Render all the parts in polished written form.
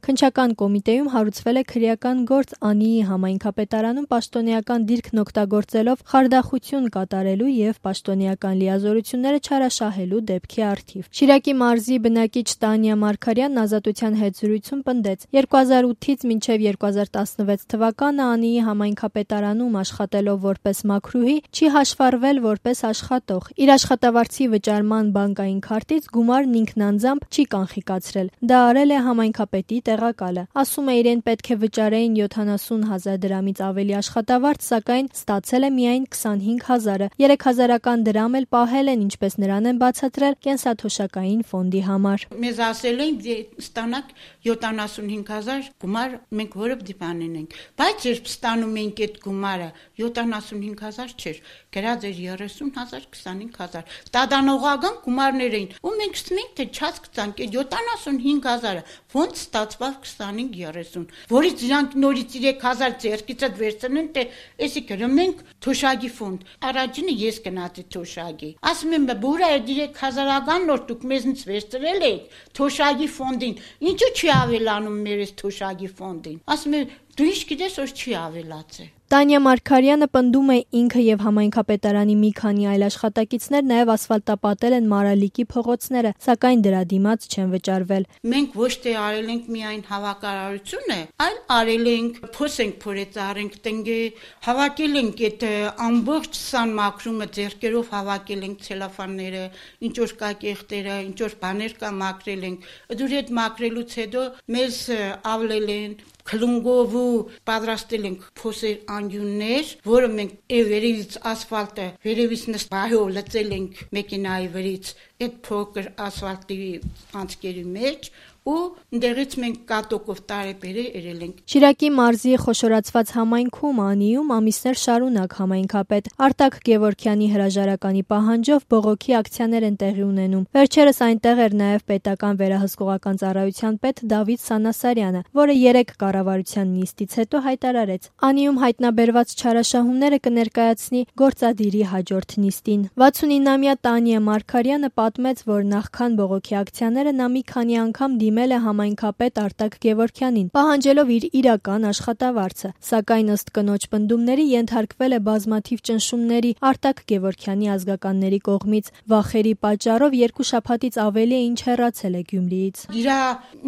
Քննչական կոմիտեում հարուցվել է քրեական գործ Անիի համայնքապետարանում պաշտոնեական դիրքն օգտագործելով խարդախություն կատարելու եւ պաշտոնեական լիազորությունները չարաշահելու դեպքի առթիվ։ Շիրակի մարզի բնակիչ Տանյա Մարգարյանն Ազատության հետ զրույցում պնդեց. 2008-ից մինչև 2016 թվականը Անիի համայնքապետարանում աշխատելով որպես մաքրուհի չի հաշվառվել որպես աշխատող։ Իր աշխատավարձի վճարման բանկային քարտից գումարն ինքն անձամբ չի կանխիկացրել։ Դա արել է համայնքապետի տեղակալը։ Ասում է, իրեն պետք է վճարեին 70,000 դրամից ավելի աշխատավարձ, սակայն ստացել է միայն 25,000-ը։ 3,000-ական դրամ էլ պահել են, ինչպես նրան են բացատրել կենսաթոշակային ֆոնդի համար։ Մեզ ասել են ստանաք 75,000 գումար, մենք որը դիպանեն ենք։ Բայց երբ ստանում ենք այդ գումարը 75,000 չէր, գրած էր 30,000, 25,000։ Տադանողական գումարներ էին։ Ու մենք ստմենք թե չած կծանք այդ 75,000-ը ոնց ստացվավ 25-30, որից իրանք նորից 3,000 ձեռքիցդ վերցնեն, թե էսի կրմենք թոշակի ֆոնդ։ Առաջինը ես գնացի թոշակի։ Ասում եմ, բուրա այդ 3,000-ական նոր դուք մեզնից վերցրել եք թոշակի ֆոնդին, ինչու չի ավելանում մեր այս թոշակի ֆոնդին։ Ասում եմ, դու ինչ գիտես, որ չի ավելացել։ Տանյա Մարգարյանը պնդում է, ինքը եւ համայնքապետարանի մի քանի այլ աշխատակիցներ նաեւ ասֆալտապատել են Մարալիկի փողոցները, սակայն դրա դիմաց չեն վճարվել։ Մենք ոչ թե արել ենք միայն հավաքարարությունը, այլ արել ենք փոս ենք փորեցար ենք տնգե, հավաքել ենք այդ ամբողջ սան մաքրումը ձեռքերով հավաքել ենք ցելոֆանները, ինչ որ կա կեղտերը, ինչ որ բաներ կա մաքրել ենք։ Դուր այդ մաքրելուց հետո մեզ ավլել են քլունգով ու պատրաստել ենք փոսեր անյուններ, որը մենք վերևից ասֆալտը վերևից նստահով լցել ենք մեքենայի վրից այդ փոքր ասֆալտի անցքերի մեջ ու դերից մենք կատոկով տարեբերը երել ենք։ Շիրակի մարզի խոշորացված համայնքում Անիում ամիսներ շարունակ համայնքապետ Արտակ Գևորգյանի հրաժարականի պահանջով բողոքի ակցիաներ են տեղի ունենում։ Վերջերս այնտեղ էր նաև պետական վերահսկողական ծառայության պետ Դավիթ Սանասարյանը, որը 3 կառավարության նիստից հետո հայտարարեց. Անիում հայտնաբերված չարաշահումները կներկայացնի գործադիրի հաջորդ նիստին։ 69-ամյա Տանյա Մարգարյանը պատմեց, որ նախքան բողոքի ակցիաները նա մի քանի անգամ դիմել է համայնքապետ Արտակ Գևորգյանին, պահանջելով իր իրական աշխատավարձը, սակայն ըստ կնոջ պնդումների ենթարկվել է բազմաթիվ ճնշումների Արտակ Գևորգյանի ազգականների կողմից։ Վախերի պատճառով 2 շաբաթից ավելի է ինչ հեռացել է Գյումրիից։ Իրա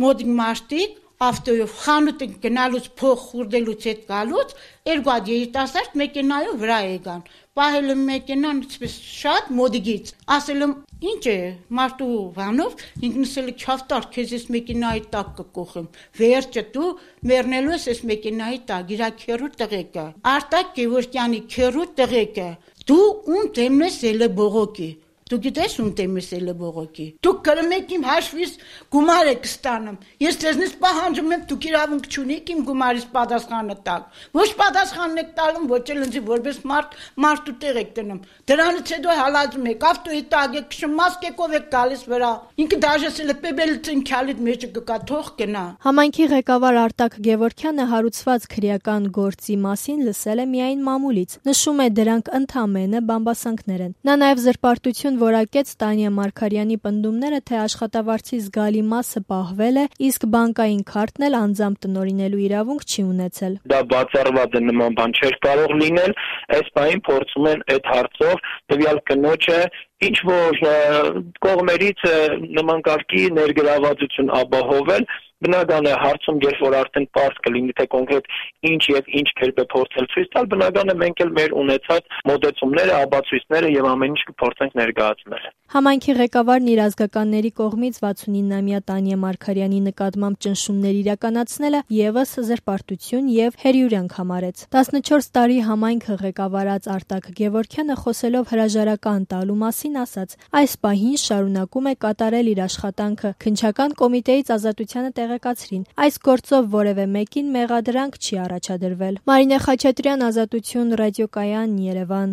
մոտ մարդիկ ավտոյով խանութ գնալուց փող խուրդելուց հետ գալուց երկու հատ երիտասարդ մեքենայով վրա եկան։ Պահել եմ մեքենան ինչպես շատ մոդիգից։ Ասել եմ, ինչ է, մարդու վանով ինքնսել չավտար, քեզ ես մեքենայի տակ կկոխեմ։ Վերջը դու մեռնելու ես այս մեքենայի տակ, իրա քերու տղեկը։ Արտակ Գևորգյանի քերու տղեկը։ Դու ում դեմն ես ելը բողոքի։ Դու գիտես ում դեմն ես ելը բողոքի։ Դուք կրմեք իմ հաշվից գումար եք ստանում։ Ես ձեզնից պահանջում եմ, դուք իրավունք չունեք իմ գումարից պատասխանը տալ։ Ոչ պատասխանն եք տալում, ոչ էլ ինձ որպես մարդու տեղ եք դնում։ Դրանից հետո հալածում եք, ավտոյի տակ եք քշում, մասկեկով եք գալիս վրա։ Ինքը դաժեսել է պեբելցին քյալիդ մեջը կգա թող գնա։ Համայնքի ղեկավար Արտակ Գևորգյանը հարուցված քրեական գործի մասին լսել է միայն մամուլից։ Նշում է, դրանք ընդամենը բամբասանքներ են։ Նա նաև զրպարտություն որակեց Տանյա Մարգարյանի պնդումները, թե աշխատավարձի զգալի մասը պահվել է, իսկ բանկային քարտն էլ անձամբ տնօրինելու իրավունք չի ունեցել։ Դա բացառված է, նման բան չէր կարող լինել, այս բանին փորձում են այդ հարցով տվյալ կնոջը ինչ որ կողմերից նման կարգի ներգրավվածություն ապահովել։ Բնական է հարցում, երբ որ արդեն պարզ կլինի, թե կոնկրետ ինչ եւ ինչ կերպ է փորձել ցույց տալ, բնական է մենք էլ մեր ունեցած մոտեցումները, ապացույցները եւ ամեն ինչ կփորձենք ներկայացնել։ Համայնքի ղեկավարն իր ազգականների կողմից 69-ամյա Տանյա Մարգարյանի նկատմամբ ճնշումներ իրականացնելը եւս զրպարտություն եւ հերյուրյանք համարեց։ 14 տարի համայնքը ղեկավարած Արտակ Գևորգյանը խոսելով հրաժարական տալու մասին ասաց. այս պահին շարունակում է կատարել իր աշխատանքը։ Քննչական կոմիտեից Ազատությանը տեղեկացրին. այս գործով որևէ մեկին մեղադրանք չի առաջադրվել։ Մարինե Խաչատրյան, Ազատություն ռադիոկայան, Երևան։